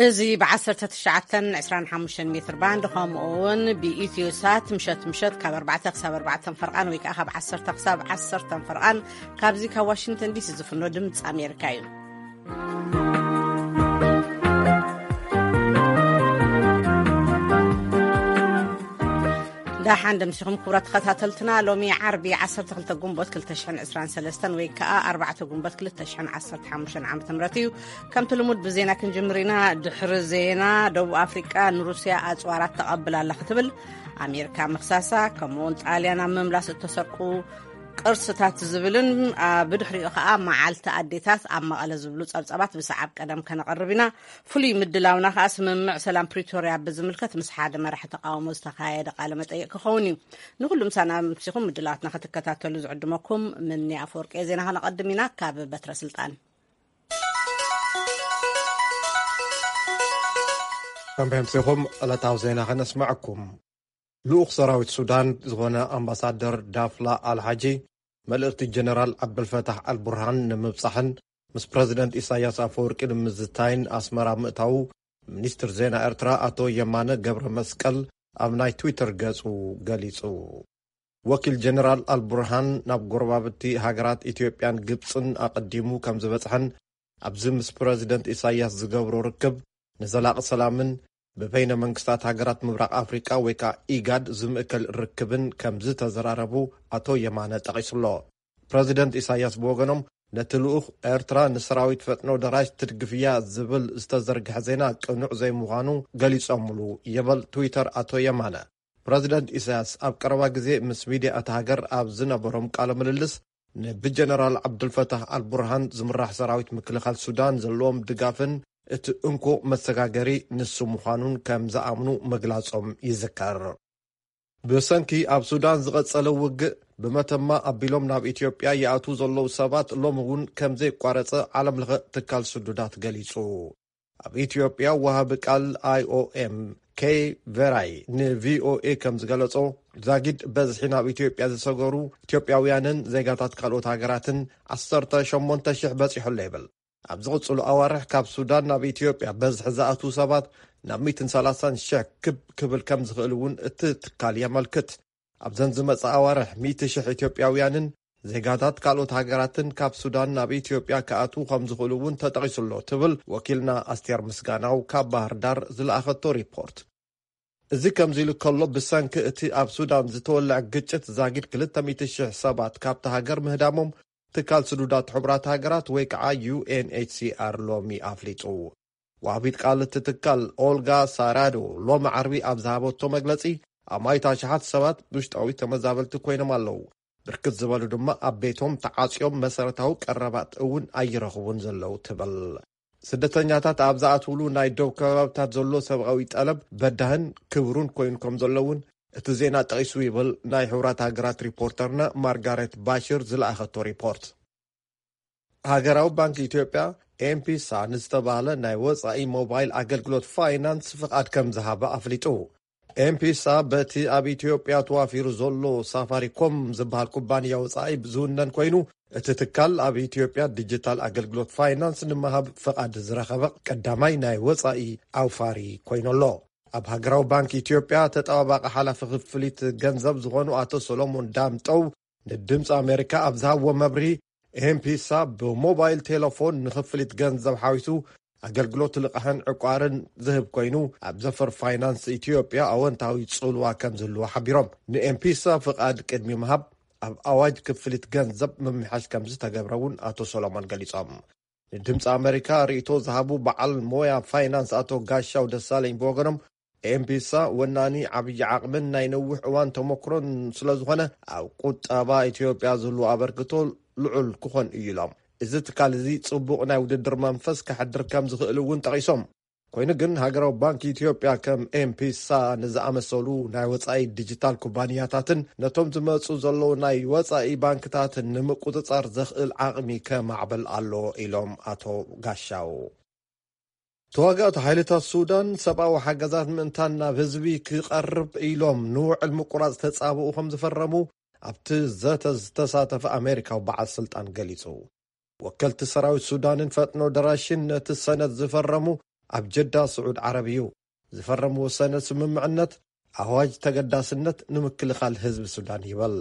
እዚ ብ19 25 ሜትር ባንድ፣ ከምኡ እውን ብኢትዮ ሳት ምሸት ምሸት ካብ ኣርባዕተ ክሳብ ኣርባዕተ ፈርቓን ወይ ከዓ ካብ ዓሰርተ ክሳብ ዓሰርተ ፈርቓን፣ ካብዚ ካብ ዋሽንግተን ዲሲ ዝፍኖ ድምፂ ኣሜሪካ እዩ። ደሓን ደምሲኹም ክቡራት ተኸታተልትና። ሎሚ ዓርቢ ዓሰርተ ክልተ ጉንቦት ክልተ ሽሕን ዕስራን ሰለስተን ወይ ከዓ ኣርባዕተ ጉንቦት ክልተ ሽሕን ዓሰርተ ሓሙሽተን ዓመተ ምህረት እዩ። ከምቲ ልሙድ ብዜና ክንጅምር ኢና። ድሕሪ ዜና፣ ደቡብ ኣፍሪቃ ንሩስያ ኣጽዋራት ተቐብል ኣላ ክትብል ኣሜሪካ ምኽሳሳ፣ ከምኡውን ጣልያን ኣብ ምምላስ እተሰርቁ ቅርስታት ዝብልን፣ አ፣ ብድሕሪኡ ከኣ መዓልቲ ኣዴታት ኣብ መቐለ ዝብሉ ጸብጻባት ብሰዓብ ቀደም ከነቐርብ ኢና። ፍሉይ ምድላውና ከኣ ስምምዕ ሰላም ፕሪቶርያ ብዝምልከት ምስ ሓደ መራሒ ተቃውሞ ዝተኻየደ ቃለ መጠይቅ ክኸውን እዩ። ንኹሉ ምሳና ምሲኹም ምድላዋትና ክትከታተሉ ዝዕድመኩም ምኒ ኣፈወርቂ። ዜና ከነቐድም ኢና ካብ በትረ ስልጣን። ከም ብሕምሲኹም ዕለታዊ ዜና ከነስምዐኩም። ልኡኽ ሰራዊት ሱዳን ዝኾነ ኣምባሳደር ዳፍላ ኣልሓጂ፣ መልእኽቲ ጀነራል ዓብደልፈታሕ ኣልቡርሃን ንምብጻሕን ምስ ፕረዚደንት ኢሳያስ ኣፈወርቂ ንምዝታይን ኣስመራ ምእታዉ፣ ሚኒስትር ዜና ኤርትራ ኣቶ የማነ ገብረ መስቀል ኣብ ናይ ትዊተር ገጹ ገሊጹ። ወኪል ጀነራል ኣልቡርሃን ናብ ጎረባብቲ ሃገራት ኢትዮጵያን ግብጽን ኣቐዲሙ ከም ዝበጽሐን፣ ኣብዚ ምስ ፕረዚደንት ኢሳያስ ዝገብሮ ርክብ ንዘላቒ ሰላምን ብበይነ መንግስታት ሃገራት ምብራቕ ኣፍሪቃ ወይ ከዓ ኢጋድ ዝምእከል ርክብን ከም ዝተዘራረቡ ኣቶ የማነ ጠቒሱሎ። ፕረዚደንት ኢሳያስ ብወገኖም፣ ነቲ ልኡኽ ኤርትራ ንሰራዊት ፈጥኖ ደራሽ ትድግፍያ ዝብል ዝተዘርግሐ ዜና ቅኑዕ ዘይምዃኑ ገሊጾምሉ ይብል ትዊተር ኣቶ የማነ። ፕረዚደንት ኢሳያስ ኣብ ቀረባ ግዜ ምስ ሚድያ እታ ሃገር ኣብ ዝነበሮም ቃለ ምልልስ፣ ንብጀነራል ዓብዱልፈታህ ኣልቡርሃን ዝምራሕ ሰራዊት ምክልኻል ሱዳን ዘለዎም ድጋፍን እቲ እንኮ መሰጋገሪ ንሱ ምዃኑን ከም ዝኣምኑ ምግላጾም ይዝከር። ብሰንኪ ኣብ ሱዳን ዝቐጸለ ውግእ፣ ብመተማ ኣቢሎም ናብ ኢትዮጵያ ይኣትዉ ዘለዉ ሰባት ሎሚ እውን ከም ዘየቋረጸ ዓለም ለኸ ትካል ስዱዳት ገሊጹ። ኣብ ኢትዮጵያ ወሃቢ ቃል ኣይ ኦ ኤም ኬይ ቬራይ ን ቪ ኦ ኤ ከም ዝገለጾ፣ ዛጊድ በዝሒ ናብ ኢትዮጵያ ዝሰገሩ ኢትዮጵያውያንን ዜጋታት ካልኦት ሃገራትን ዓሰርተ ሸሞንተ ሽሕ በጺሑ ኣሎ ይብል። ኣብ ዝቕጽሉ ኣዋርሕ ካብ ሱዳን ናብ ኢትዮጵያ በዝሒ ዝኣትዉ ሰባት ናብ ሚእትን ሰላሳን ሽሕ ክብ ክብል ከም ዝኽእል እውን እቲ ትካል የመልክት። ኣብዘን ዝመጽኣ ኣዋርሕ ሚእቲ ሽሕ ኢትዮጵያውያንን ዜጋታት ካልኦት ሃገራትን ካብ ሱዳን ናብ ኢትዮጵያ ክኣትዉ ከም ዝኽእሉ እውን ተጠቒሱ ኣሎ ትብል ወኪልና ኣስቴር ምስጋናው ካብ ባህር ዳር ዝለኣኸቶ ሪፖርት። እዚ ከምዚ ኢሉ ከሎ፣ ብሰንኪ እቲ ኣብ ሱዳን ዝተወልዐ ግጭት ዛጊድ ክልተ ሚእቲ ሽሕ ሰባት ካብቲ ሃገር ምህዳሞም ትካል ስዱዳት ሕቡራት ሃገራት ወይ ከዓ ዩ ኤን ኤች ሲ ኣር ሎሚ ኣፍሊጡ። ወሃቢት ቃል እቲ ትካል ኦልጋ ሳራዶ ሎሚ ዓርቢ ኣብ ዝሃበቶ መግለጺ፣ ኣማኢት ኣሽሓት ሰባት ውሽጣዊ ተመዛበልቲ ኮይኖም ኣለዉ። ብርክት ዝበሉ ድማ ኣብ ቤቶም ተዓጽዮም መሰረታዊ ቀረባት እውን ኣይረኽቡን ዘለዉ ትብል። ስደተኛታት ኣብ ዝኣትውሉ ናይ ዶብ ከባብታት ዘሎ ሰብኣዊ ጠለብ በዳህን ክብሩን ኮይኑ ከም ዘሎ እውን እቲ ዜና ጠቒሱ ይብል ናይ ሕቡራት ሃገራት ሪፖርተርና ማርጋሬት ባሽር ዝለኣኸቶ ሪፖርት። ሃገራዊ ባንክ ኢትዮጵያ ኤምፒሳ ንዝተባህለ ናይ ወጻኢ ሞባይል ኣገልግሎት ፋይናንስ ፍቓድ ከም ዝሃበ ኣፍሊጡ። ኤምፒሳ በቲ ኣብ ኢትዮጵያ ተዋፊሩ ዘሎ ሳፋሪኮም ዝበሃል ኩባንያ ወጻኢ ዝውነን ኮይኑ፣ እቲ ትካል ኣብ ኢትዮጵያ ዲጂታል ኣገልግሎት ፋይናንስ ንምሃብ ፍቓድ ዝረኸበ ቀዳማይ ናይ ወጻኢ ኣውፋሪ ኮይኑ ኣሎ። ኣብ ሃገራዊ ባንክ ኢትዮጵያ ተጠባባቂ ሓላፊ ክፍሊት ገንዘብ ዝኾኑ ኣቶ ሰሎሞን ዳምጠው ንድምፂ ኣሜሪካ ኣብ ዝሃብዎ መብርሂ፣ ኤምፒሳ ብሞባይል ቴሌፎን ንክፍሊት ገንዘብ ሓዊሱ ኣገልግሎት ልቓሕን ዕቋርን ዝህብ ኮይኑ፣ ኣብ ዘፈር ፋይናንስ ኢትዮጵያ ኣወንታዊ ጽልዋ ከም ዝህልዎ ሓቢሮም፣ ንኤምፒሳ ፍቓድ ቅድሚ ምሃብ ኣብ ኣዋጅ ክፍሊት ገንዘብ ምምሕያሽ ከም ዝተገብረ እውን ኣቶ ሰሎሞን ገሊጾም። ንድምፂ ኣሜሪካ ርእይቶ ዝሃቡ በዓል ሞያ ፋይናንስ ኣቶ ጋሻው ደሳለኝ ብወገኖም፣ ኤምፒሳ ወናኒ ዓብዪ ዓቕምን ናይ ነዊሕ እዋን ተመክሮን ስለ ዝኾነ፣ ኣብ ቁጠባ ኢትዮጵያ ዝህልዎ ኣበርክቶ ልዑል ክኾን እዩ ኢሎም። እዚ ትካል እዚ ጽቡቕ ናይ ውድድር መንፈስ ከሕድር ከም ዝኽእል እውን ጠቒሶም። ኮይኑ ግን ሃገራዊ ባንክ ኢትዮጵያ ከም ኤምፒሳ ንዝኣመሰሉ ናይ ወጻኢ ዲጂታል ኩባንያታትን ነቶም ዝመጹ ዘለዉ ናይ ወጻኢ ባንክታትን ንምቁጽጻር ዘኽእል ዓቕሚ ከማዕበል ኣለዎ ኢሎም ኣቶ ጋሻው። ተዋጋእቲ ሓይልታት ሱዳን ሰብኣዊ ሓገዛት ምእንታን ናብ ህዝቢ ክቐርብ ኢሎም ንውዕል ምቁራጽ ተጻብኡ ከም ዝፈረሙ ኣብቲ ዘተ ዝተሳተፈ ኣሜሪካዊ በዓል ስልጣን ገሊጹ። ወከልቲ ሰራዊት ሱዳንን ፈጥኖ ደራሽን ነቲ ሰነድ ዝፈረሙ ኣብ ጀዳ ስዑድ ዓረብ እዩ። ዝፈረምዎ ሰነድ ስምምዕነት ኣዋጅ ተገዳስነት ንምክልኻል ህዝቢ ሱዳን ይበል።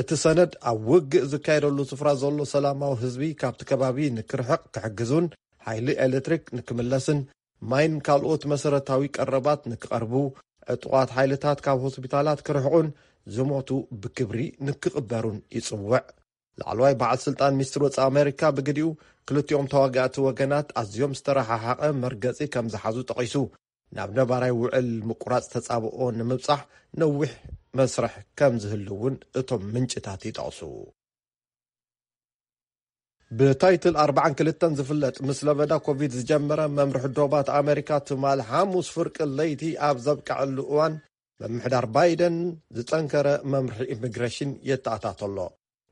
እቲ ሰነድ ኣብ ውግእ ዝካየደሉ ስፍራ ዘሎ ሰላማዊ ህዝቢ ካብቲ ከባቢ ንክርሕቕ ክሕግዙን ሓይሊ ኤሌክትሪክ ንክምለስን ማይን ካልኦት መሰረታዊ ቀረባት ንክቐርቡ፣ ዕጡቓት ሓይልታት ካብ ሆስፒታላት ክርሕቑን ዝሞቱ ብክብሪ ንክቕበሩን ይጽውዕ። ላዕለዋይ በዓል ስልጣን ሚኒስትር ወጻኢ ኣሜሪካ ብግዲኡ፣ ክልቲኦም ተዋጋእቲ ወገናት ኣዝዮም ዝተረሓሓቐ መርገጺ ከም ዝሓዙ ጠቒሱ፣ ናብ ነባራይ ውዕል ምቁራጽ ተጻብኦ ንምብጻሕ ነዊሕ መስርሕ ከም ዝህሉ እውን እቶም ምንጭታት ይጠቕሱ። ብታይትል ኣርባዓን ክልተን ዝፍለጥ ምስ ለበዳ ኮቪድ ዝጀመረ መምርሒ ዶባት ኣሜሪካ ትማል ሓሙስ ፍርቂ ለይቲ ኣብ ዘብቅዐሉ እዋን፣ ምምሕዳር ባይደን ዝጠንከረ መምርሒ ኢሚግሬሽን የተኣታተሎ።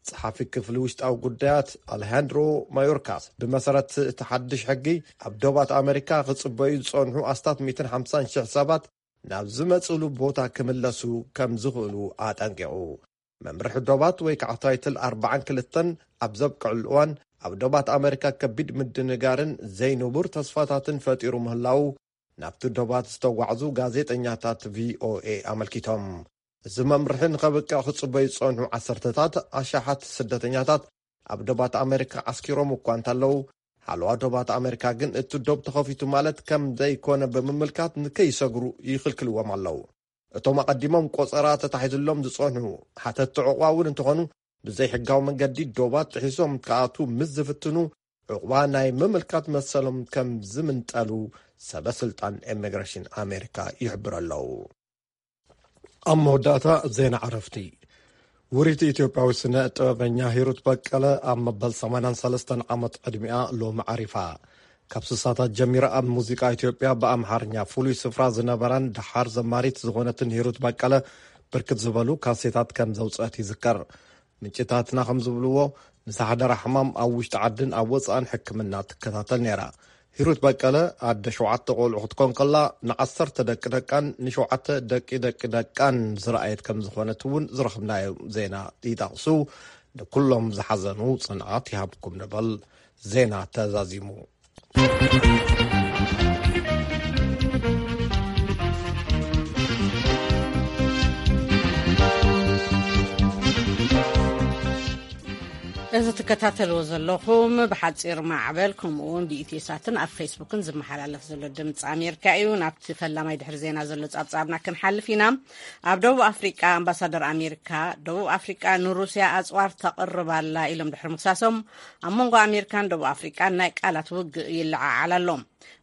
ጸሓፊ ክፍሊ ውሽጣዊ ጉዳያት ኣሌሃንድሮ ማዮርካስ፣ ብመሰረት እቲ ሓድሽ ሕጊ ኣብ ዶባት ኣሜሪካ ክጽበዩ ዝጸንሑ ኣስታት ሚእትን ሓምሳን ሽሕ ሰባት ናብ ዝመጽእሉ ቦታ ክምለሱ ከም ዝኽእሉ ኣጠንቂቑ። መምርሒ ዶባት ወይ ከዓ ታይትል ኣርባዓን ክልተን ኣብ ዘብቅዕሉ እዋን፣ ኣብ ዶባት ኣሜሪካ ከቢድ ምድንጋርን ዘይንቡር ተስፋታትን ፈጢሩ ምህላዉ ናብቲ ዶባት ዝተጓዕዙ ጋዜጠኛታት ቪኦኤ ኣመልኪቶም። እዚ መምርሒ ንኸብቅዕ ክጽበዩ ዝጸንሑ ዓሰርተታት ኣሽሓት ስደተኛታት ኣብ ዶባት ኣሜሪካ ዓስኪሮም እኳ እንተለዉ፣ ሓለዋ ዶባት ኣሜሪካ ግን እቲ ዶብ ተኸፊቱ ማለት ከም ዘይኮነ ብምምልካት ንከይሰግሩ ይኽልክልዎም ኣለዉ። እቶም ኣቐዲሞም ቆጸራ ተታሒዝሎም ዝጸንሑ ሓተትቲ ዕቑባ እውን እንተኾኑ፣ ብዘይሕጋዊ መንገዲ ዶባት ጥሒሶም ክኣትዉ ምስ ዝፍትኑ፣ ዕቑባ ናይ ምምልካት መሰሎም ከም ዝምንጠሉ ሰበ ስልጣን ኢሚግሬሽን ኣሜሪካ ይሕብሩ ኣለዉ። ኣብ መወዳእታ ዜና ዕረፍቲ። ውሪት ኢትዮጵያዊ ስነ ጥበበኛ ሂሩት በቀለ ኣብ መበል ሰማንያን ሰለስተን ዓመት ዕድሚኣ ሎሚ ዓሪፋ። ካብ ስሳታት ጀሚራ ኣብ ሙዚቃ ኢትዮጵያ ብኣምሓርኛ ፍሉይ ስፍራ ዝነበራን ደሓር ዘማሪት ዝኾነትን ሂሩት በቀለ ብርክት ዝበሉ ካሴታት ከም ዘውፅአት ይዝከር። ምንጭታትና ከም ዝብልዎ፣ ንሳሕደራ ሕማም ኣብ ውሽጢ ዓድን ኣብ ወፃእን ሕክምና ትከታተል ነይራ። ሂሩት በቀለ ኣደ ሸውዓተ ቆልዑ ክትኮን ከላ፣ ንዓሰርተ ደቂ ደቃን ንሸውዓተ ደቂ ደቂ ደቃን ዝረኣየት ከም ዝኾነት እውን ዝረኽብናዮ ዜና ይጠቕሱ። ንኩሎም ዝሓዘኑ ጽንዓት ይሃብኩም ንበል። ዜና ተዛዚሙ። እዚ ትከታተልዎ ዘለኹም ብሓጺር ማዕበል ከምኡ እውን ብኢትዮ ሳትን ኣብ ፌስቡክን ዝመሓላለፍ ዘሎ ድምፂ ኣሜሪካ እዩ። ናብቲ ፈላማይ ድሕሪ ዜና ዘሎ ጻብጻብና ክንሓልፍ ኢና። ኣብ ደቡብ ኣፍሪቃ ኣምባሳደር ኣሜሪካ፣ ደቡብ ኣፍሪቃ ንሩስያ ኣጽዋር ተቕርብ ኣላ ኢሎም ድሕሪ ምክሳሶም፣ ኣብ መንጎ ኣሜሪካን ደቡብ ኣፍሪቃን ናይ ቃላት ውግእ ይለዓዓል ኣሎ።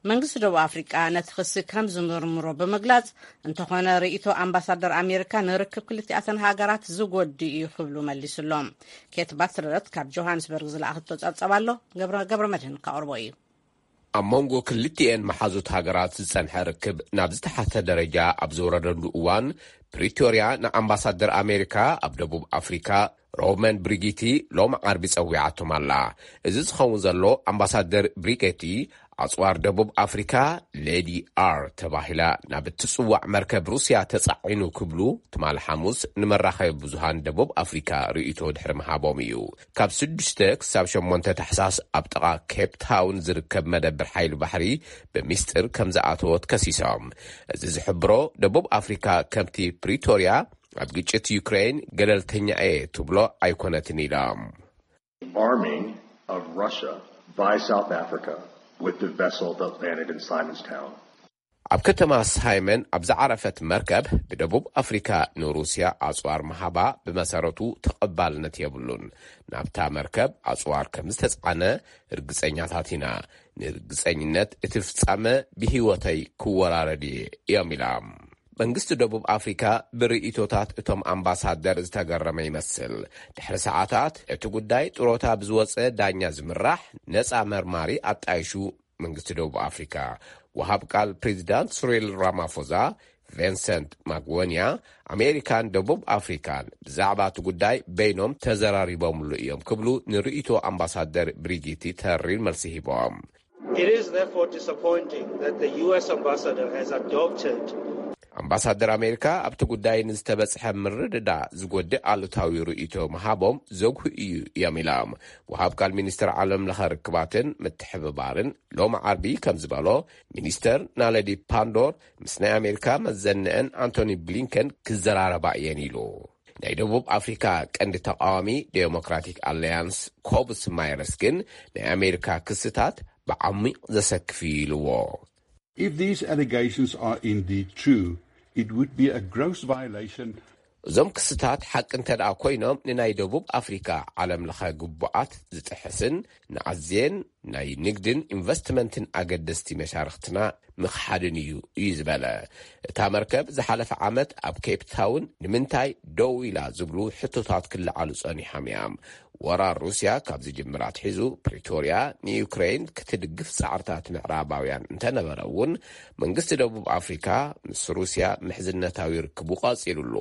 መንግስቲ ደቡብ ኣፍሪቃ ነቲ ክሲ ከም ዝምርምሮ ብምግላጽ፣ እንተኾነ ርእይቶ ኣምባሳደር ኣሜሪካ ንርክብ ክልቲኣተን ሃገራት ዝጎድእ እዩ ክብሉ መሊሱሎም። ኬት ባትረርት ካብ ጆሃንስበርግ ዝለኣኸቶ ጸብጸብ ኣሎ፣ ገብረ፣ ገብረ መድህን ከቕርቦ እዩ። ኣብ መንጎ ክልቲኤን መሓዙት ሃገራት ዝጸንሐ ርክብ ናብ ዝተሓተ ደረጃ ኣብ ዝወረደሉ እዋን፣ ፕሪቶርያ ንኣምባሳደር ኣሜሪካ ኣብ ደቡብ ኣፍሪካ ሮመን ብሪጊቲ ሎም ዓርቢ ጸዊዓቶም ኣላ። እዚ ዝኸውን ዘሎ፣ ኣምባሳደር ብሪጌቲ ኣጽዋር ደቡብ ኣፍሪካ ሌዲ ኣር ተባሂላ ናብ እትጽዋዕ መርከብ ሩስያ ተጻዒኑ ክብሉ ትማሊ ሓሙስ ንመራኸቢ ብዙሃን ደቡብ ኣፍሪካ ርእይቶ ድሕሪ ምሃቦም እዩ። ካብ ስዱሽተ ክሳብ ሸሞንተ ታሕሳስ ኣብ ጥቓ ኬፕ ታውን ዝርከብ መደብር ሓይሊ ባሕሪ ብሚስጥር ከም ዝኣተወት ከሲሶም። እዚ ዝሕብሮ፣ ደቡብ ኣፍሪካ ከምቲ ፕሪቶርያ ኣብ ግጭት ዩክሬን ገለልተኛ እየ ትብሎ ኣይኮነትን ኢሎም። Arming of Russia by South Africa with the vessel that landed in Simonstown. ኣብ ከተማ ሳይመን ኣብ ዝዓረፈት መርከብ ብደቡብ ኣፍሪካ ንሩስያ ኣፅዋር ምሃባ ብመሰረቱ ተቐባልነት የብሉን። ናብታ መርከብ ኣፅዋር ከም ዝተፃዕነ ርግፀኛታት ኢና። ንርግፀኝነት እቲ ፍፃመ ብህይወተይ ክወራረድ እየ እዮም ኢሎም። መንግስቲ ደቡብ ኣፍሪካ ብርእይቶታት እቶም ኣምባሳደር ዝተገረመ ይመስል። ድሕሪ ሰዓታት እቲ ጉዳይ ጥሮታ ብዝወፀ ዳኛ ዝምራሕ ነፃ መርማሪ ኣጣይሹ መንግስቲ ደቡብ ኣፍሪካ። ወሃብ ቃል ፕሬዚዳንት ስሪል ራማፎዛ ቬንሰንት ማግወንያ ኣሜሪካን ደቡብ ኣፍሪካን ብዛዕባ እቲ ጉዳይ በይኖም ተዘራሪቦምሉ እዮም ክብሉ ንርእይቶ ኣምባሳደር ብሪጊቲ ተሪር መልሲ ሂቦም። It is therefore disappointing that the U S ambassador has adopted ኣምባሳደር ኣሜሪካ ኣብቲ ጉዳይ ንዝተበጽሐ ምርድዳእ ዝጎድእ ኣሉታዊ ርእይቶ ምሃቦም ዘጉህ እዩ እዮም ኢሎም። ወሃብ ቃል ሚኒስትር ዓለም ለኸ ርክባትን ምትሕብባርን ሎም ዓርቢ ከም ዝበሎ፣ ሚኒስተር ናለዲ ፓንዶር ምስ ናይ ኣሜሪካ መዘንአን ኣንቶኒ ብሊንከን ክዘራረባ እየን ኢሉ። ናይ ደቡብ ኣፍሪካ ቀንዲ ተቃዋሚ ዴሞክራቲክ ኣለያንስ ኮብስ ማይረስ ግን ናይ ኣሜሪካ ክስታት ብዓሚቕ ዘሰክፍ እዩ ኢልዎ። If these allegations are indeed true, it would be a gross violation. እዞም ክስታት ሓቂ እንተ ደኣ ኮይኖም፣ ንናይ ደቡብ ኣፍሪካ ዓለም ለኸ ግቡኣት ዝጥሕስን ንኣዝየን ናይ ንግድን ኢንቨስትመንትን ኣገደስቲ መሻርክትና ምኽሓድን እዩ እዩ ዝበለ። እታ መርከብ ዝሓለፈ ዓመት ኣብ ኬፕ ታውን ንምንታይ ደው ኢላ ዝብሉ ሕቶታት ክለዓሉ ጸኒሖም እዮም። ወራር ሩስያ ካብ ዝጅምር ኣትሒዙ፣ ፕሪቶርያ ንዩክሬን ክትድግፍ ጻዕርታት ምዕራባውያን እንተነበረ እውን፣ መንግስቲ ደቡብ ኣፍሪካ ምስ ሩስያ ምሕዝነታዊ ርክቡ ቀጺሉሉ።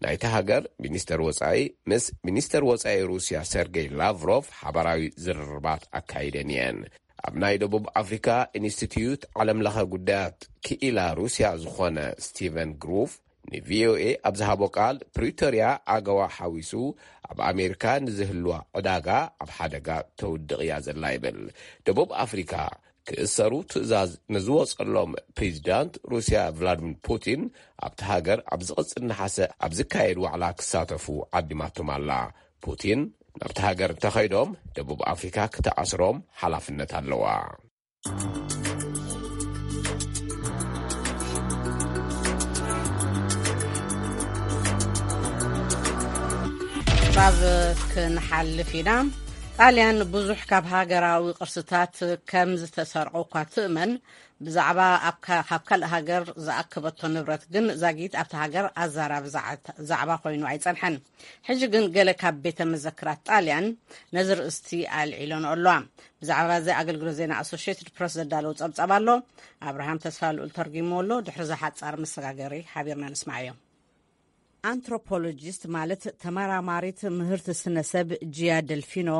ናይታ ሃገር ሚኒስተር ወጻኢ ምስ ሚኒስተር ወጻኢ ሩስያ ሰርጌይ ላቭሮቭ ሓባራዊ ዝርርባት ኣካይደን እየን። ኣብ ናይ ደቡብ ኣፍሪካ ኢንስቲትዩት ዓለም ለኸ ጉዳያት ክኢላ ሩስያ ዝኾነ ስቲቨን ግሩፍ ንቪኦኤ ኣብ ዝሃቦ ቃል፣ ፕሪቶርያ ኣገዋ ሓዊሱ ኣብ ኣሜሪካ ንዝህልዋ ዕዳጋ ኣብ ሓደጋ ተውድቕ እያ ዘላ ይብል። ደቡብ ኣፍሪካ ክእሰሩ ትእዛዝ ንዝወጸሎም ፕሬዚዳንት ሩስያ ቭላድሚር ፑቲን ኣብቲ ሃገር ኣብ ዝቕጽል ነሓሰ ኣብ ዝካየድ ዋዕላ ክሳተፉ ዓዲማቶም ኣላ። ፑቲን ናብቲ ሃገር እንተኸይዶም፣ ደቡብ ኣፍሪካ ክትኣስሮም ሓላፍነት ኣለዋ። ብ ክንሓልፍ ኢና። ጣልያን ብዙሕ ካብ ሃገራዊ ቅርስታት ከም ዝተሰርቆ እኳ ትእመን፣ ብዛዕባ ካብ ካልእ ሃገር ዝኣከበቶ ንብረት ግን ዛጊት ኣብቲ ሃገር ኣዛራቢ ዛዕባ ኮይኑ ኣይጸንሐን። ሕጂ ግን ገለ ካብ ቤተ መዘክራት ጣልያን ነዚ ርእስቲ ኣልዒሎን ኣለዋ። ብዛዕባ እዚ ኣገልግሎት ዜና ኣሶሽትድ ፕረስ ዘዳለዉ ጸብጻብ ኣሎ። ኣብርሃም ተስፋ ልኡል ተርጊሞ ኣሎ። ድሕሪ ዝሓጻር መሰጋገሪ ሓቢርና ንስማዓዮ። ኣንትሮፖሎጂስት ማለት ተመራማሪት ምህርቲ ስነሰብ ጂያ ደልፊኖ፣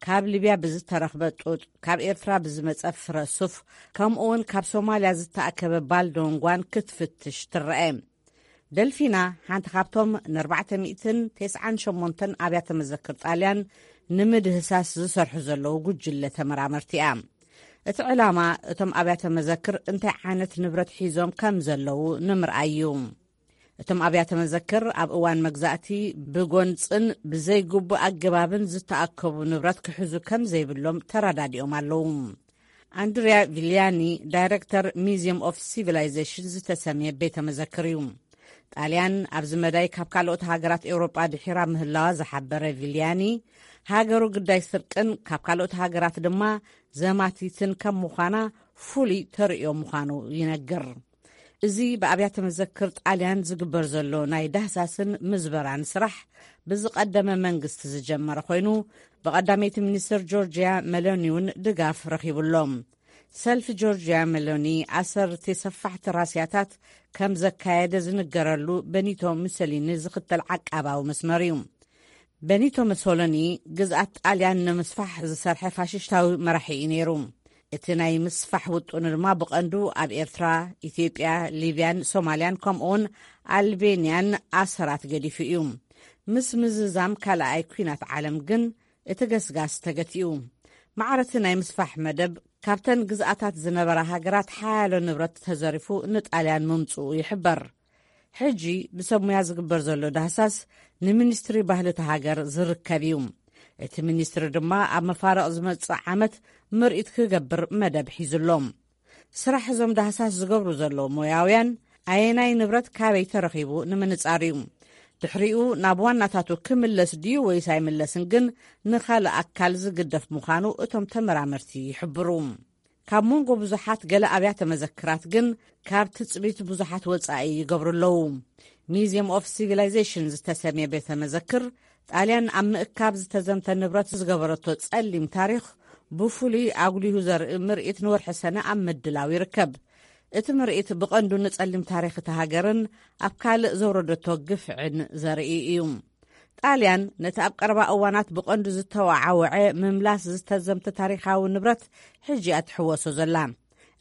ካብ ሊብያ ብዝተረኽበ ጡጥ፣ ካብ ኤርትራ ብዝመጸ ፍረ ሱፍ፣ ከምኡ እውን ካብ ሶማልያ ዝተኣከበ ባልዶንጓን ክትፍትሽ ትረአ። ደልፊና ሓንቲ ካብቶም ን ኣርባዕተ ሚእትን ተስዓን ሸሞንተን ኣብያተ መዘክር ጣልያን ንምድህሳስ ዝሰርሑ ዘለዉ ጉጅለ ተመራመርቲ እያ። እቲ ዕላማ እቶም ኣብያተ መዘክር እንታይ ዓይነት ንብረት ሒዞም ከም ዘለዉ ንምርኣይ እዩ። እቶም ኣብያተ መዘክር ኣብ እዋን መግዛእቲ ብጎንጽን ብዘይግቡእ ኣገባብን ዝተኣከቡ ንብረት ክሕዙ ከም ዘይብሎም ተረዳዲኦም ኣለዉ። ኣንድሪያ ቪልያኒ ዳይረክተር ሚዚየም ኦፍ ሲቪላይዜሽን ዝተሰምየ ቤተ መዘክር እዩ። ጣልያን ኣብዚ መዳይ ካብ ካልኦት ሃገራት ኤውሮጳ ድሒራ ምህላዋ ዝሓበረ ቪልያኒ፣ ሃገሩ ግዳይ ስርቅን ካብ ካልኦት ሃገራት ድማ ዘማቲትን ከም ምዃና ፍሉይ ተርእዮ ምዃኑ ይነግር። እዚ ብኣብያተ መዘክር ጣልያን ዝግበር ዘሎ ናይ ዳህሳስን ምዝበራን ስራሕ ብዝቐደመ መንግስቲ ዝጀመረ ኮይኑ፣ ብቐዳመይቲ ሚኒስትር ጆርጅያ ሜሎኒ እውን ድጋፍ ረኺቡ ኣሎ። ሰልፊ ጆርጅያ ሜሎኒ ኣሰርቲ ሰፋሕቲ ራስያታት ከም ዘካየደ ዝንገረሉ በኒቶ ሙሰሊኒ ዝኽተል ዓቃባዊ መስመር እዩ። በኒቶ መሶሎኒ ግዝኣት ጣልያን ንምስፋሕ ዝሰርሐ ፋሽሽታዊ መራሒ እዩ ነይሩ። እቲ ናይ ምስፋሕ ውጥኑ ድማ ብቐንዱ ኣብ ኤርትራ፣ ኢትዮጵያ፣ ሊብያን ሶማልያን ከምኡውን ኣልቤንያን ኣሰራት ገዲፉ እዩ። ምስ ምዝዛም ካልኣይ ኲናት ዓለም ግን እቲ ገስጋስ ተገቲኡ። ማዕረቲ ናይ ምስፋሕ መደብ ካብተን ግዝኣታት ዝነበራ ሃገራት ሓያሎ ንብረት ተዘሪፉ ንጣልያን ምምጽኡ ይሕበር። ሕጂ ብሰብ ሙያ ዝግበር ዘሎ ዳህሳስ ንሚኒስትሪ ባህሊ እቲ ሃገር ዝርከብ እዩ። እቲ ሚኒስትሪ ድማ ኣብ መፋርቕ ዝመጽእ ዓመት ምርኢት ክገብር መደብ ሒዙ ኣሎ። ስራሕ እዞም ዳህሳስ ዝገብሩ ዘለዉ ሞያውያን ኣየናይ ንብረት ካበይ ተረኺቡ ንምንጻር እዩ። ድሕሪኡ ናብ ዋናታቱ ክምለስ ድዩ ወይስ ኣይምለስን ግን ንኻልእ ኣካል ዝግደፍ ምዃኑ እቶም ተመራመርቲ ይሕብሩ። ካብ መንጎ ብዙሓት ገለ ኣብያተ መዘክራት ግን ካብ ትጽቢት ብዙሓት ወጻኢ ይገብሩ ኣለዉ። ሚዚየም ኦፍ ሲቪላይዜሽን ዝተሰምየ ቤተ መዘክር ጣልያን ኣብ ምእካብ ዝተዘምተ ንብረት ዝገበረቶ ጸሊም ታሪኽ ብፍሉይ ኣጉሊሁ ዘርኢ ምርኢት ንወርሒ ሰነ ኣብ ምድላው ይርከብ። እቲ ምርኢት ብቐንዱ ንጸሊም ታሪኽ እታ ሃገርን ኣብ ካልእ ዘውረደቶ ግፍዕን ዘርኢ እዩ። ጣልያን ነቲ ኣብ ቀረባ እዋናት ብቐንዱ ዝተወዓወዐ ምምላስ ዝተዘምተ ታሪኻዊ ንብረት ሕጂ እያ ትሕወሶ ዘላ።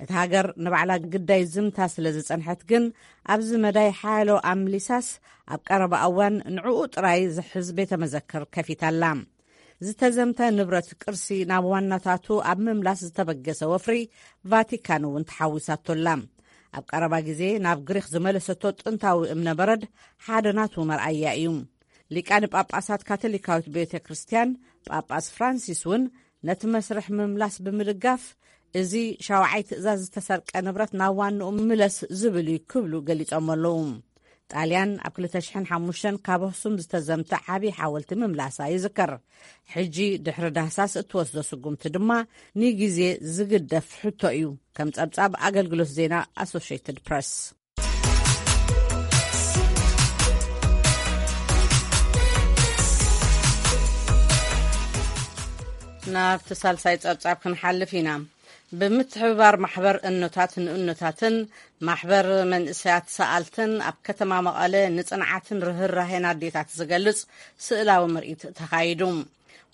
እታ ሃገር ንባዕላ ግዳይ ዝምታ ስለ ዝጸንሐት ግን፣ ኣብዚ መዳይ ሓያሎ ኣምሊሳስ ኣብ ቀረባ እዋን ንዕኡ ጥራይ ዝሕዝ ቤተ መዘክር ከፊታ ኣላ። ዝተዘምተ ንብረት ቅርሲ ናብ ዋናታቱ ኣብ ምምላስ ዝተበገሰ ወፍሪ፣ ቫቲካን እውን ተሓዊሳቶ ኣላ። ኣብ ቀረባ ግዜ ናብ ግሪኽ ዝመለሰቶ ጥንታዊ እምነ በረድ ሓደ ናቱ መርኣያ እዩ። ሊቃነ ጳጳሳት ካቶሊካዊት ቤተ ክርስቲያን፣ ጳጳስ ፍራንሲስ እውን ነቲ መስርሕ ምምላስ ብምድጋፍ፣ እዚ ሻውዓይ ትእዛዝ ዝተሰርቀ ንብረት ናብ ዋንኡ ምለስ ዝብል እዩ ክብሉ ገሊጾም ኣለዉ። ጣልያን ኣብ ክልተ ሽሕን ሓሙሽተን ካብ ኣኽሱም ዝተዘምተ ዓቢ ሓወልቲ ምምላሳ ይዝከር። ሕጂ ድሕሪ ዳህሳስ እትወስዶ ስጉምቲ ድማ ንግዜ ዝግደፍ ሕቶ እዩ፣ ከም ጸብጻብ ኣገልግሎት ዜና ኣሶሽየትድ ፕረስ። ናብቲ ሳልሳይ ጸብጻብ ክንሓልፍ ኢና። ብምትሕብባር ማሕበር እኖታት ንእኖታትን ማሕበር መንእሰያት ሰኣልትን ኣብ ከተማ መቐለ ንጽንዓትን ርህራሄን ኣዴታት ዝገልጽ ስእላዊ ምርኢት ተኻይዱ።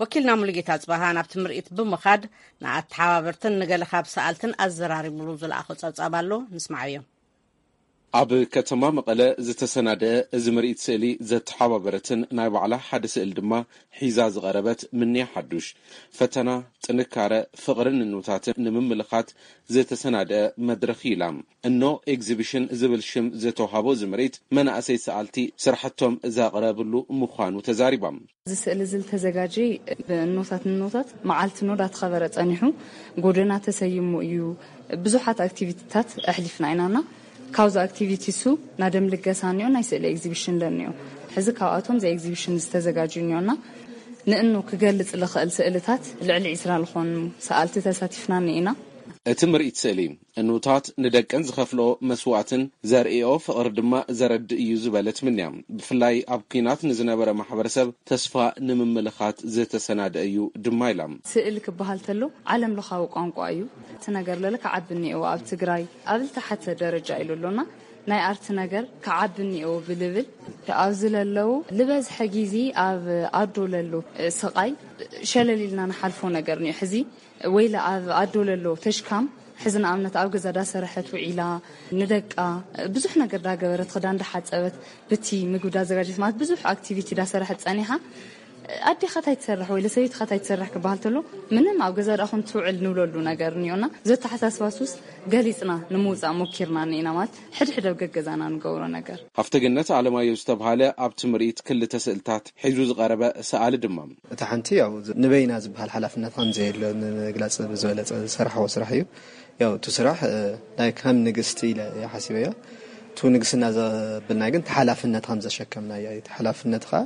ወኪልና ሙሉጌታ ጽባሃ ናብቲ ምርኢት ብምኻድ ንኣተሓባበርትን ንገለ ካብ ሰኣልትን ኣዘራሪቡሉ ዝለኣኾ ጸብጻብ ኣሎ፣ ንስማዓዮ። ኣብ ከተማ መቐለ ዝተሰናደአ እዚ ምርኢት ስእሊ ዘተሓባበረትን ናይ ባዕላ ሓደ ስእሊ ድማ ሒዛ ዝቐረበት ምንያ ሓዱሽ፣ ፈተና፣ ጥንካረ፣ ፍቕርን ንንውታትን ንምምልኻት ዝተሰናደአ መድረኽ ኢላ። እኖ ኤግዚቢሽን ዝብል ሽም ዝተውሃቦ እዚ ምርኢት፣ መናእሰይ ሰኣልቲ ስራሕቶም ዘቕረብሉ ምዃኑ ተዛሪባ። እዚ ስእሊ እዚ ዝተዘጋጀ ብእኖታት ንኖታት መዓልቲ ኖ ዳተኸበረ ጸኒሑ፣ ጎደና ተሰይሙ እዩ። ብዙሓት ኣክቲቪቲታት ኣሕሊፍና ኢናና። ካብዚ ኣክቲቪቲ እሱ ናይ ደም ልገሳ እኒኦ፣ ናይ ስእሊ ኤግዚቢሽን ለኒኦ። ሕዚ ካብኣቶም እዚ ኤግዚቢሽን ዝተዘጋጀዩ እኒኦና። ንእኖ ክገልጽ ልኽእል ስእልታት ልዕሊ ዕስራ ዝኾኑ ሰኣልቲ ተሳቲፍና እኒኢና። እቲ ምርኢት ስእሊ፣ እኖታት ንደቀን ዝኸፍልኦ መስዋእትን ዘርእኦ ፍቕሪ ድማ ዘረድእ እዩ ዝበለት ምንያ፣ ብፍላይ ኣብ ኲናት ንዝነበረ ማሕበረሰብ ተስፋ ንምምልኻት ዝተሰናደ እዩ ድማ ኢላ። ስእሊ ክበሃል ተሎ ዓለም ለኻዊ ቋንቋ እዩ። እቲ ነገር ለለ ክዓቢ እኒኤዎ፣ ኣብ ትግራይ ኣብ ዝተሓተ ደረጃ ኢሉ ኣሎና። ናይ ኣርቲ ነገር ክዓቢ እኒኤዎ ብልብል ኣብዚ ለለዉ ልበዝሐ ግዜ ኣብ ኣዶ ለሎ ስቓይ ሸለል ኢልና ንሓልፎ ነገር እኒኦ። ሕዚ ወይለ ኣብ ኣዶ ለሎ ተሽካም ሕዚ ንኣብነት ኣብ ገዛ ዳሰረሐት ውዒላ፣ ንደቃ ብዙሕ ነገር ዳገበረት፣ ክዳን ዳሓጸበት፣ ብቲ ምግቢ ዳዘጋጀት፣ ማለት ብዙሕ ኣክቲቪቲ ዳሰረሐት ጸኒሓ። ኣዴኻ ታይ ትሰርሕ ወይ ለሰበይትኻ ታይ ትሰርሕ ክበሃል ተሎ፣ ምንም ኣብ ገዛ ዳኣ ኮን ትውዕል ንብለሉ ነገር እኒኦና። ዘተሓሳስባ ሱስ ገሊጽና ንምውጻእ ሞኪርና እኒኢና፣ ማለት ሕድሕድ ኣብ ገገዛና ንገብሮ ነገር። ሃፍተ ገነት ኣለማየሁ ዝተብሃለ ኣብቲ ምርኢት ክልተ ስእልታት ሒዙ ዝቐረበ ሰኣሊ ድማ፣ እታ ሓንቲ ያው ንበይና ዝበሃል ሓላፍነት ከም ዘየለ ንምግላጽ ብዝበለጸ ዝሰራሕዎ ስራሕ እዩ። ያው እቲ ስራሕ፣ እ፣ ናይ ከም ንግስቲ ኢለ እየ ሓሲበዮ። እቲ ንግስና ዘብልና ግን እቲ ሓላፍነት ከም ዘሸከምና እያ። እቲ ሓላፍነት ኸኣ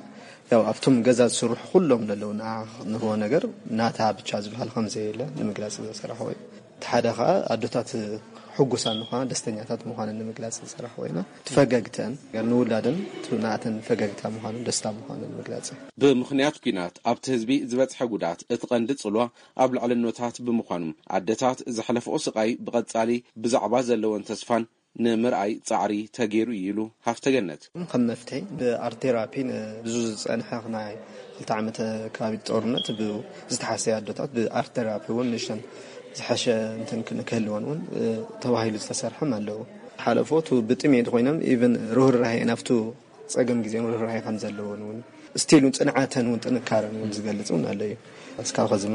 ያው ኣብቶም ገዛ ዝስርሑ ኩሎም ዘለዉ ንዓ ንህቦ ነገር ናታ ብቻ ዝበሃል ከም ዘየለ ንምግላጽ ዝሰራሕዎ እዩ። እቲ ሓደ ኸኣ ኣዶታት ሕጉሳት ምዃን፣ ደስተኛታት ምዃነን ንምግላጽ ዝሰራሕ ኮይና፣ እቲ ፈገግተን ንውላደን እቲ ናተን ፈገግታ ምዃኑን ደስታ ምዃኑን ምግላጽ እዩ። ብምኽንያት ኲናት ኣብቲ ህዝቢ ዝበጽሐ ጉድኣት እቲ ቀንዲ ጽልዋ ኣብ ልዕልኖታት ብምዃኑ፣ ኣደታት ዘሕለፍኦ ስቓይ ብቐጻሊ ብዛዕባ ዘለወን ተስፋን ንምርኣይ ጻዕሪ ተገይሩ እዩ ኢሉ ሃፍተ ገነት። ከም መፍትሒ ብኣርት ቴራፒ ንብዙ ዝጸንሐ ናይ ክልተ ዓመት ከባቢ ጦርነት ብ-፣ ዝተሓሰየ ኣዶታት ብኣርት ቴራፒ እውን ንእሽተን ዝሐሸ እንትን ክን-፣ ክህልወን እውን፣ እ፣ ተባሂሉ ዝተሰርሐም ኣለዉ። ሓለፎ እቲ ብጥሜት ኮይኖም ኢቭን ርህራሄ ናብቱ ጸገም ግዜም ርህራሄ ከም ዘለዎን እውን ስቲል እውን ጽንዓተን እውን ጥንካረን እውን ዝገልጽ እውን ኣሎ እዩ። እስካብ ኸዚ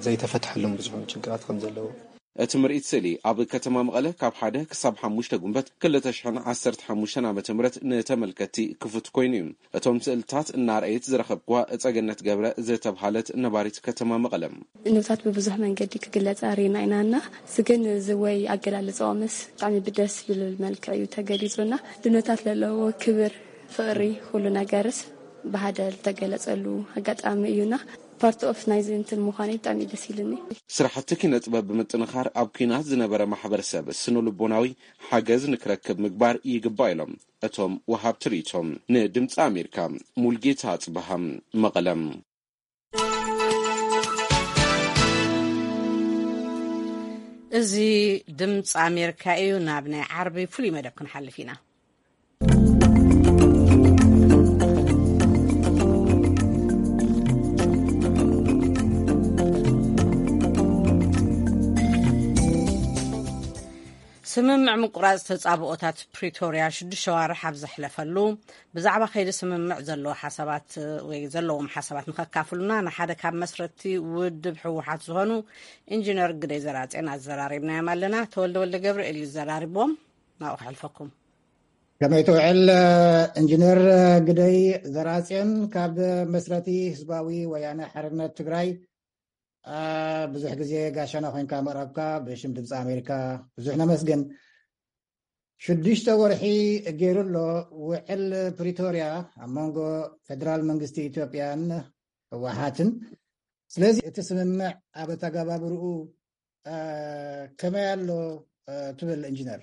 ዘይተፈትሐሎም ብዙሕ ችግራት ከም ዘለዉ። እቲ ምርኢት ስእሊ ኣብ ከተማ መቐለ ካብ ሓደ ክሳብ ሓሙሽተ ጉንበት ክልተ ሽሕን ዓሰርተ ሓሙሽተን ዓመተ ምህረት ንተመልከትቲ ክፉት ኮይኑ እዩ። እቶም ስእልታት እናርኣየት ዝረኸብክዋ እጸገነት ገብረ ዝተብሃለት ነባሪት ከተማ መቐለ። እኖታት ብብዙሕ መንገዲ ክግለጻ ርኢና ኢና እና፣ እዚ ግን እዚ ወይ ኣገላልጻኦምስ ብጣዕሚ ብደስ ዝብል መልክዕ እዩ ተገሊጹና። ድኖታት ለለዎ ክብር፣ ፍቕሪ፣ ኩሉ ነገርስ ብሃደ ዝተገለጸሉ ኣጋጣሚ እዩና። ፓርት ኦፍ ናይዚ እንትን ምዃነይ ብጣዕሚ ደስ ኢሉኒ። ስራሕቲ ኪነ ጥበብ ብምጥንኻር ኣብ ኲናት ዝነበረ ማሕበረሰብ ስነ ልቦናዊ ሓገዝ ንክረክብ ምግባር ይግባእ ኢሎም እቶም ወሃብቲ ርእይቶም። ንድምፂ ኣሜሪካ ሙልጌታ ጽበሃ፣ መቐለም። እዚ ድምፂ ኣሜሪካ እዩ። ናብ ናይ ዓርቢ ፍሉይ መደብ ክንሓልፍ ኢና። ስምምዕ ምቁራጽ ተጻብኦታት ፕሪቶርያ ሽዱሽተ ኣዋርሕ ኣብ ዘሕለፈሉ፣ ብዛዕባ ከይዲ ስምምዕ ዘለዎ ሓሳባት ወይ ዘለዎም ሓሳባት ንኸካፍሉና ንሓደ ካብ መስረቲ ውድብ ህወሓት ዝኾኑ ኢንጂነር ግደይ ዘርኣጽዮን ኣዘራሪብናዮም ኣለና። ተወልደ ወልደ ገብርኤል እዩ ዘራሪብዎም። ናብኡ ከሕልፈኩም። ከመይ ትውዕል ኢንጂነር ግደይ ዘርኣጽዮን? ካብ መስረቲ ህዝባዊ ወያነ ሓርነት ትግራይ ብዙሕ ግዜ ጋሻና ኮይንካ ምቕራብካ ብሽም ድምፂ ኣሜሪካ ብዙሕ ነመስግን። ሽዱሽተ ወርሒ ገይሩ ኣሎ ውዕል ፕሪቶርያ ኣብ መንጎ ፌደራል መንግስቲ ኢትዮጵያን ህወሓትን። ስለዚ እቲ ስምምዕ ኣብ ኣተገባብርኡ ከመይ ኣሎ ትብል ኢንጂነር?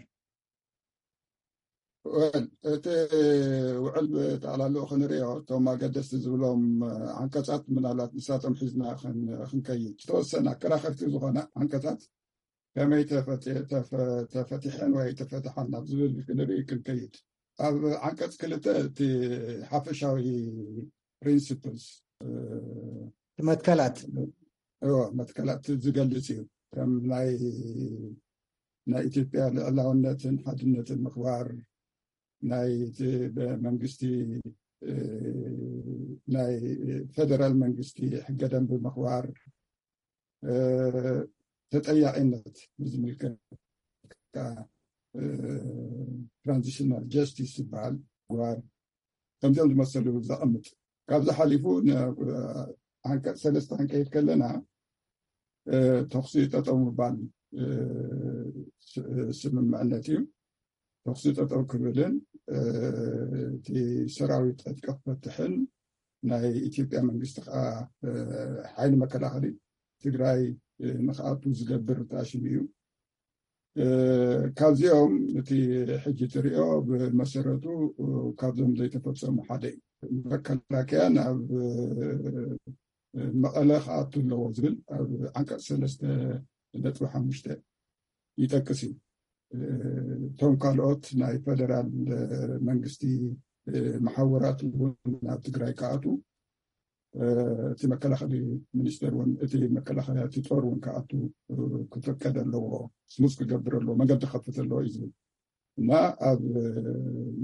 እቲ ውዕል ጠቕላልኡ ክንሪኦ፣ እቶም ኣገደስቲ ዝብሎም ዓንቀፃት ምናልባት ንሳቶም ሒዝና ክንከይድ፣ ዝተወሰነ ኣከራኸርቲ ዝኾነ ዓንቀፃት ከመይ ተፈቲሐን ወይ ተፈትሓን ናብ ዝብል ክንርኢ ክንከይድ፣ ኣብ ዓንቀፅ ክልተ እቲ ሓፈሻዊ ፕሪንሲፕልስ መትከላት መትከላት ዝገልፅ እዩ። ከም ናይ ናይ ኢትዮጵያ ልዕላውነትን ሓድነትን ምኽባር፣ ናይ መንግስቲ ናይ ፌደራል መንግስቲ ሕገ ደንቢ ምኽባር፣ ተጠያቂነት ብዝምልከት ትራንዚሽናል ጀስቲስ ዝበሃል ምግባር፣ ከምዚኦም ዝመሰሉ ዘቐምጥ። ካብዚ ሓሊፉ ዓንቀፅ ሰለስተ ክንከይድ ከለና ተኹሲ ጠጠው ምባል ስምምዕነት እዩ። ተኹሲ ጠጠው ክብልን እቲ ሰራዊት ዕጥቂ ክፈትሕን ናይ ኢትዮጵያ መንግስቲ ከዓ ሓይሊ መከላኸሊ ትግራይ ንክኣቱ ዝገብር ተኣሽሙ እዩ። ካብዚኦም እቲ ሕጂ ትሪኦ ብመሰረቱ ካብዞም ዘይተፈፀሙ ሓደ እዩ። መከላከያ ናብ መቐለ ክኣቱ ኣለዎ ዝብል ኣብ ዓንቀፅ ሰለስተ ነጥቢ ሓሙሽተ ይጠቅስ እዩ። እቶም ካልኦት ናይ ፌደራል መንግስቲ መሓውራት እውን ናብ ትግራይ ክኣቱ እቲ መከላኸሊ ሚኒስተር እውን እቲ መከላኸያ እቲ ጦር እውን ክኣቱ ክፍቀድ ኣለዎ፣ ስሙዝ ክገብር ኣለዎ፣ መገዲ ክኸፍት ኣለዎ እዩ ዝብል እና ኣብ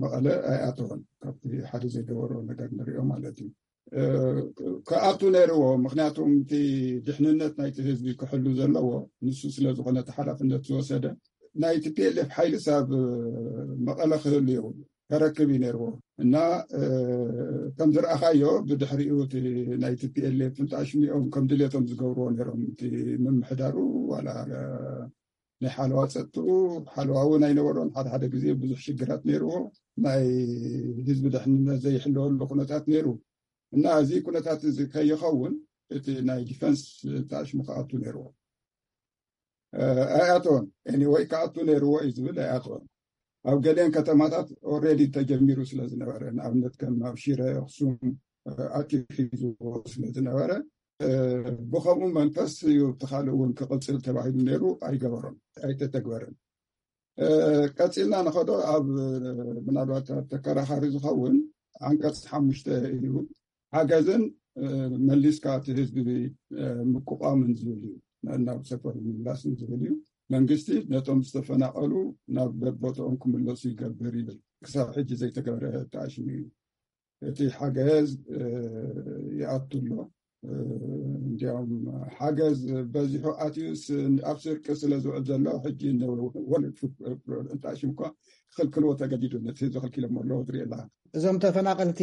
መቐለ ኣይኣተወን። ካብቲ ሓደ ዘይገበሮ ነገር ንሪኦ ማለት እዩ። ክኣቱ ነይርዎ፣ ምክንያቱም እቲ ድሕንነት ናይቲ ህዝቢ ክሕሉ ዘለዎ ንሱ ስለዝኾነ እቲ ሓላፍነት ዝወሰደ ናይ ቲ ፒ ኤል ኤፍ ሓይልስ ኣብ መቐለ ክህሉ የብሉ፣ ከረክብ እዩ ነይርዎ እና ከም ዝረኣኻዮ ብድሕሪኡ እቲ ናይ ቲ ፒ ኤል ኤፍ እንተኣሽሚኦም ከም ድሌቶም ዝገብርዎ ነይሮም። እቲ ምምሕዳሩ ዋላ ናይ ሓለዋ ፀጥኡ ሓለዋ እውን ኣይነበሮን። ሓደ ሓደ ግዜ ብዙሕ ሽግራት ነይርዎ፣ ናይ ህዝቢ ድሕንነት ዘይሕለወሉ ኩነታት ነይሩ እና እዚ ኩነታት እዚ ከይኸውን እቲ ናይ ዲፈንስ ተኣሽሙ ክኣቱ ነይርዎ። ኣይኣተወን። ኤኒወይ ክኣቱ ነይርዎ እዩ ዝብል ኣይኣተወን። ኣብ ገሊአን ከተማታት ኦልሬዲ ተጀሚሩ ስለ ዝነበረ፣ ንኣብነት ከም ኣብ ሽረ፣ ኣኽሱም ኣትዩ ሒዝዎ ስለ ዝነበረ ብኸምኡ መንፈስ እዩ እቲ ካልእ እውን ክቕፅል ተባሂሉ ነይሩ፣ ኣይገበሮን፣ ኣይተተግበረን። ቀፂልና ንኸዶ ኣብ ምናልባት ተከራኻሪ ዝኸውን ዓንቀፅ ሓሙሽተ እዩ። ሓገዝን መሊስካ እቲ ህዝቢ ምቁቋምን ዝብል እዩ። ናብ ሰፈሩ ምምላስን ዝብል እዩ። መንግስቲ ነቶም ዝተፈናቐሉ ናብ ቦትኦም ክምለሱ ይገብር ይብል። ክሳብ ሕጂ ዘይተገበረ ተኣሽሙ እዩ። እቲ ሓገዝ ይኣቱ ኣሎ። እንዲያውም ሓገዝ በዚሑ ኣትዩስ ኣብ ስርቂ ስለ ዝውዕል ዘሎ ሕጂ ወርልድ ፉድ ፕሮግራም እንተኣሽም እኳ ክኽልክልዎ ተገዲዱ። ነቲ ህዝቢ ከልኪሎሞ ኣለዎ ትርኢ ኣለኻ። እዞም ተፈናቐልቲ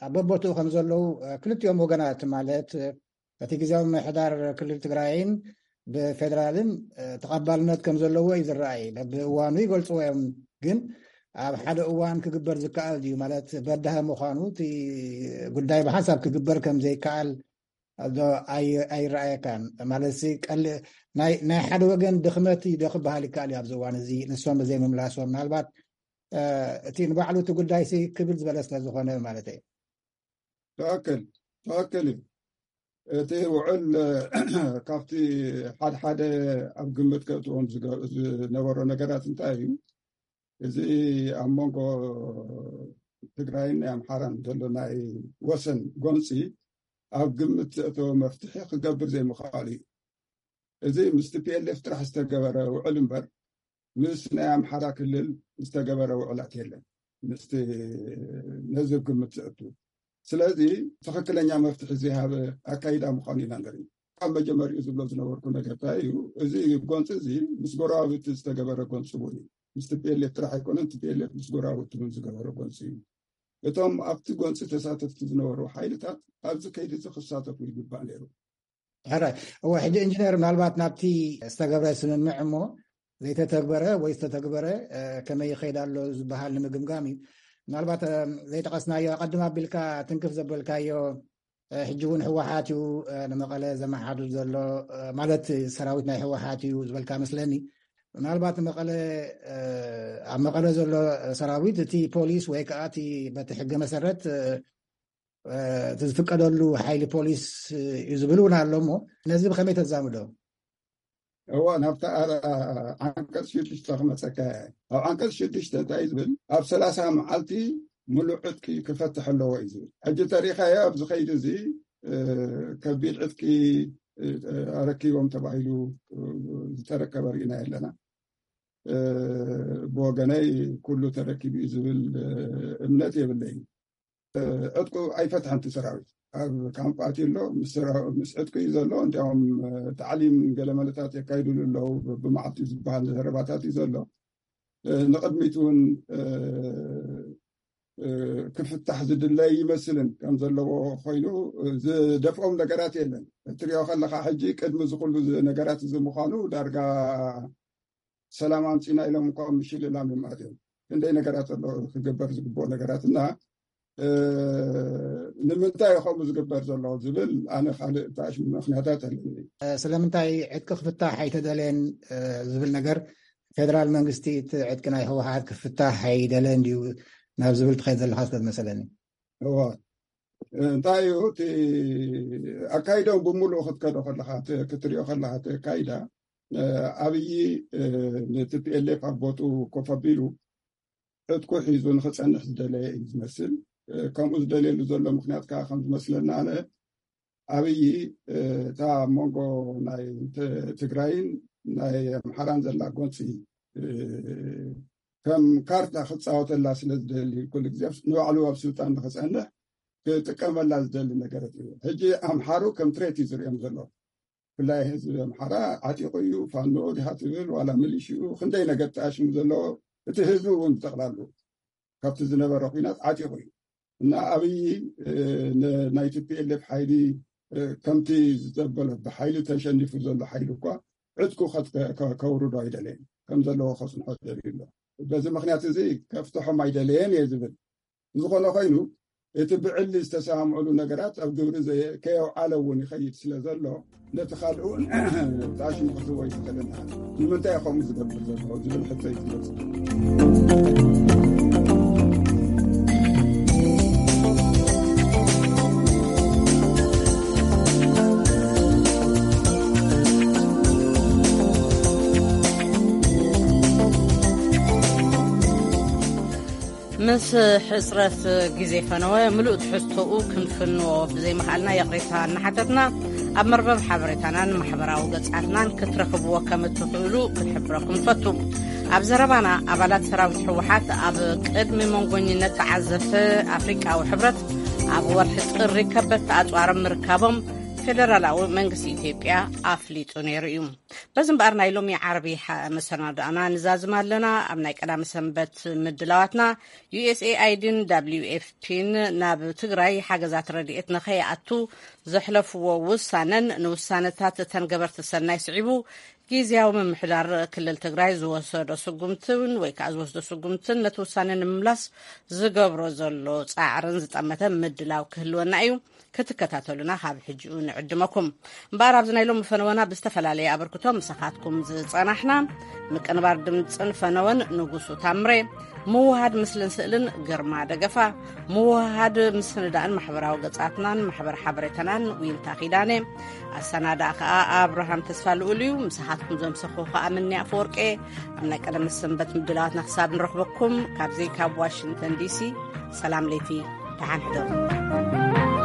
ኣብ በቦትኡ ከም ዘለዉ ክልቲኦም ወገናት ማለት እቲ ግዜያዊ ምምሕዳር ክልል ትግራይን ብፌደራልን ተቐባልነት ከም ዘለዎ እዩ ዝረኣይ። በብእዋኑ ይገልፅዎ እዮም። ግን ኣብ ሓደ እዋን ክግበር ዝከኣል ድዩ ማለት በዳሂ ምዃኑ እቲ ጉዳይ ብሓንሳብ ክግበር ከም ዘይከኣል ዶ ኣይረኣየካን? ማለት ቀል ናይ ሓደ ወገን ድኽመት ዶ ክበሃል ይከኣል እዩ ኣብዚ እዋን እዚ ንሶም ዘይምምላሶም ምናልባት እቲ ንባዕሉ እቲ ጉዳይ ክብል ዝበለ ስለ ዝኾነ ማለት እዩ። ትኽክል ትኽክል እዩ። እቲ ውዕል ካብቲ ሓደ ሓደ ኣብ ግምት ከእትዎም ዝነበሮ ነገራት እንታይ እዩ? እዚ ኣብ መንጎ ትግራይን ናይ ኣምሓራን ዘሎ ናይ ወሰን ጎንፂ ኣብ ግምት ዘእተወ መፍትሒ ክገብር ዘይምኽኣሉ እዩ። እዚ ምስ ቲ ፒ ኤል ኤፍ ጥራሕ ዝተገበረ ውዕል እምበር ምስ ናይ ኣምሓራ ክልል ዝተገበረ ውዕላት የለን። ምስቲ ነዚ ግምት ዘእቱ። ስለዚ ትኽክለኛ መፍትሒ ዝሃበ ኣካይዳ ምዃኑ ኢና ንርኢ። ካብ መጀመሪኡ ዝብሎ ዝነበርኩ ነገር እንታይ እዩ? እዚ ጎንፂ እዚ ምስ ጎረባብቲ ዝተገበረ ጎንፂ እውን እዩ። ምስ ቲ ፒ ኤል ኤፍ ጥራሕ ኣይኮነን፣ ቲ ፒ ኤል ኤፍ ምስ ጎረባብቲ እውን ዝገበረ ጎንፂ እዩ። እቶም ኣብቲ ጎንፂ ተሳተፍቲ ዝነበሩ ሓይልታት ኣብዚ ከይዲ እዚ ክሳተፉ ይግባእ ነይሩ። ሕራይ። እወ፣ ሕጂ ኢንጂነር፣ ምናልባት ናብቲ ዝተገብረ ስምምዕ እሞ ዘይተተግበረ ወይ ዝተተግበረ፣ እ፣ ከመይ ይኸይድ ኣሎ ዝበሃል ንምግምጋም እዩ። ምናልባት፣ እ፣ ዘይጠቐስናዮ፣ ኣቐድም ኣቢልካ ትንክፍ ዘበልካዮ፣ እ፣ ሕጂ እውን ህወሓት እዩ፣ እ፣ ንመቐለ ዘመሓድር ዘሎ፣ እ፣ ማለት ሰራዊት ናይ ህወሓት እዩ ዝበልካ መስለኒ። ምናልባት መቐለ፣ እ፣ ኣብ መቐለ ዘሎ ሰራዊት፣ እቲ ፖሊስ ወይ ከዓ እቲ በቲ ሕገ መሰረት፣ እ፣ እ፣ እቲ ዝፍቀደሉ ሓይሊ ፖሊስ እዩ ዝብል እውን ኣሎ እሞ፣ ነዚ ብኸመይ ተዛምዶ? እዋ፣ ናብታ ኣ-፣ ዓንቀጽ ሽዱሽተ ክመጸካ እየ። ኣብ ዓንቀጽ ሽዱሽተ እንታይ እዩ ዝብል? ኣብ ሰላሳ መዓልቲ ምሉእ ዕጥቂ ክፈትሕ ኣለዎ እዩ ዝብል። ሕጂ ተሪኻዮ ኣብዚ ኸይዲ እዚ፣ እ፣ ከቢድ ዕጥቂ፣ እ፣ ኣረኪቦም ተባሂሉ፣ እ፣ ዝተረከበ ርኢና የለና። እ፣ ብወገነይ ኩሉ ተረኪቡ እዩ ዝብል፣ እ፣ እምነት የብለይን። እ፣ ዕጥቁ ኣይፈትሐን እቲ ሰራዊት። ኣብ ካምፕ ኣትዩ ኣሎ፣ ምስ ሰራ-፣ ምስ ዕጥቁ እዩ ዘሎ። እንዲያውም፣ እ፣ ታዕሊም ገለ መለታት የካይዱሉ ኣለዉ፣ ብመዓልቲ ዝበሃል ዘረባታት እዩ ዘሎ። እ፣ ንቕድሚት እውን፣ እ፣ እ፣ ክፍታሕ ዝድለ ይመስልን ከም ዘለዎ ኮይኑ፣ እ፣ ዝደፍኦም ነገራት የለን። እትሪኦ ከለኻ ሕጂ ቅድሚ እዚ ኩሉ ዝ-፣ ነገራት እዚ ምዃኑ ዳርጋ ሰላም ኣምጺና ኢሎም እኳ ምሽልላም እዮም ኣትዮም። ክንደይ ነገራት ኣሎ ክግበር ዝግብኦ ነገራት እና፣ እ፣ ንምንታይ እዩ ከምኡ ዝግበር ዘሎ ዝብል ኣነ ካልእ ተኣሽ ምኽንያታት ኣለኒ። እ፣ ስለምንታይ ዕጥቂ ክፍታሕ ኣይተደለየን፣ እ፣ ዝብል ነገር ፌደራል መንግስቲ እቲ ዕጥቂ ናይ ህወሓት ክፍታሕ ኣይደለየን ድዩ ናብ ዝብል ትኸይድ ዘለኻ ስለ ዝመሰለኒ። እዋ፣ እንታይ እዩ እቲ ኣካይደኦም ብምሉእ ክትከዶ ከለኻ፣ እቲ ክትሪኦ ከለኻ እቲ ኣካይዳ፣ እ፣ ኣብይ፣ እ፣ ነቲ ፒ ኤል ኤፍ ኣብ ቦትኡ ኮፍ ኣቢሉ ዕጥቁ ሒዙ ንኽጸንሕ ዝደለየ እዩ ዝመስል። እ፣ ከምኡ ዝደልየሉ ዘሎ ምኽንያት ከዓ ከም ዝመስለና ኣነ ኣብይ፣ እ፣ እታ ኣብ መንጎ ናይ ት-፣ ትግራይን ናይ ኣምሓራን ዘላ ጎንፂ፣ እ፣ ከም ካርታ ክፃወተላ ስለ ዝደሊ ኩሉ ግዜ ንባዕሉ ኣብ ስልጣን ንኽፀንሕ ክጥቀመላ ዝደሊ ነገረት እዩ። ሕጂ ኣምሓሩ ከም ትሬት እዩ ዝሪኦም ዘሎ። ብፍላይ ህዝቢ ኣምሓራ ዓጢቑ እዩ። ፋኖ ዲኻ ትብል ዋላ ሚሊሽኡ ክንደይ ነገር ተኣሽሙ ዘለዎ፣ እቲ ህዝቢ እውን ብጠቕላሉ ካብቲ ዝነበረ ኲናት ዓጢቑ እዩ። እና ኣብይ፣ እ፣ ን-፣ ናይ ቲ ፒ ኤል ኤፍ ሓይሊ፣ እ፣ ከምቲ ዘበሎ ብሓይሊ ተሸኒፉ ዘሎ ሓይሊ እኳ ዕጥቁ ከት-፣ ከ-፣ ከውርዶ ኣይደለየን። ከም ዘለዎ ከጽንሖ ደልዩ ኣሎ። በዚ ምኽንያት እዚ ከፍትሖም ኣይደለየን እየ ዝብል። ዝኾነ ኮይኑ እቲ ብዕሊ ዝተሰማምዑሉ ነገራት ኣብ ግብሪ ዘየ-፣ ከየውዓለ እውን ይኸይድ ስለ ዘሎ፣ ነቲ ካልእ እውን ጣሽሙ ክትህቦ ይትኽእልን። ንምንታይ እዩ ከምኡ ዝገብር ዘሎ ዝብል ሕቶ እዩ ዝመጽእ። ምስ ሕጽረት ግዜ ፈነወ ምሉእ ትሕዝቶኡ ክንፍንዎ ብዘይምኽኣልና ይቕሬታ እናሓተትና፣ ኣብ መርበብ ሓበሬታናን ማሕበራዊ ገጻትናን ክትረኽብዎ ከም እትኽእሉ ክንሕብረኩም ንፈቱ። ኣብ ዘረባና፣ ኣባላት ሰራዊት ህወሓት ኣብ ቅድሚ መንጎኝነት ተዓዘብቲ ኣፍሪቃዊ ሕብረት ኣብ ወርሒ ጥሪ ከበድቲ ኣጽዋር ምርካቦም ፌደራላዊ መንግስቲ ኢትዮጵያ ኣፍሊጡ ነይሩ እዩ። በዚ እምበኣር ናይ ሎሚ ዓርቢ ሓ-፣ መሰናድኣና ንዛዝም ኣለና። ኣብ ናይ ቀዳሚ ሰንበት ምድላዋትና፣ ዩ ኤስ ኤ ኣይ ዲን ደብሊው ኤፍ ፒን ናብ ትግራይ ሓገዛት ረድኤት ንኸይኣቱ ዘሕለፍዎ ውሳነን ንውሳነታት እተን ገበርቲ ሰናይ ስዒቡ ግዝያዊ ምምሕዳር ክልል ትግራይ ዝወሰዶ ስጉምትን ወይ ከዓ ዝወስዶ ስጉምትን ነቲ ውሳነ ንምምላስ ዝገብሮ ዘሎ ፃዕርን ዝጠመተ ምድላው ክህልወና እዩ። ክትከታተሉና ካብ ሕጂኡ ንዕድመኩም። እምበኣር ኣብዚ ናይ ሎሚ ፈነወና ብዝተፈላለየ ኣበርክቶ ምሳኻትኩም ዝጸናሕና፣ ምቅንባር ድምጽን ፈነወን ንጉሱ ታምሬ፣ ምውሃድ ምስልን ስእልን ግርማ ደገፋ፣ ምውሃድ ምስንዳእን ማሕበራዊ ገጻትናን ማሕበር ሓበሬታናን ዊንታ ኪዳነ፣ ኣሰናዳእ ከኣ ኣብርሃም ተስፋ ልኡል እዩ። ምሳኻትኩም ዘምሰኹ ከኣ ምንያ ኣፈወርቄ። ኣብ ናይ ቀደም ሰንበት ምድላዋትና ክሳብ ንረኽበኩም፣ ካብዚ ካብ ዋሽንግተን ዲ ሲ ሰላም ለይቲ፣ ደሓን ሕደሩ።